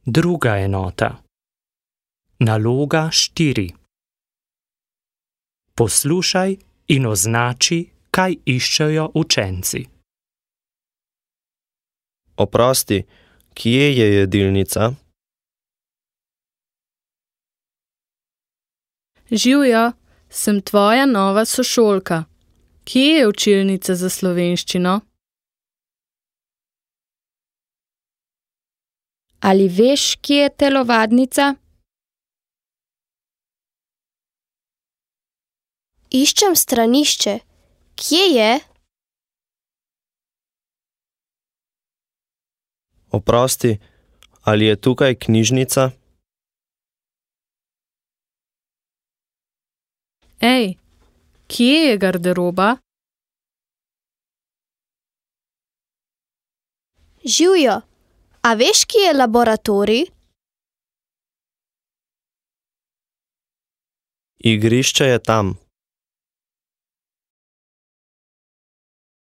Druga enota. Naloga 4. Poslušaj in označi, kaj iščejo učenci. Oprosti, kje je jedilnica? Živjo, sem tvoja nova sošolka. Kje je učilnica za slovenščino? Ali veš, kje je telovadnica? Iščem stranišče. Kje je? Oprosti, ali je tukaj knjižnica? Ej, kje je garderoba? Živjo, a veš, kje je laboratorij? Igrišče je tam.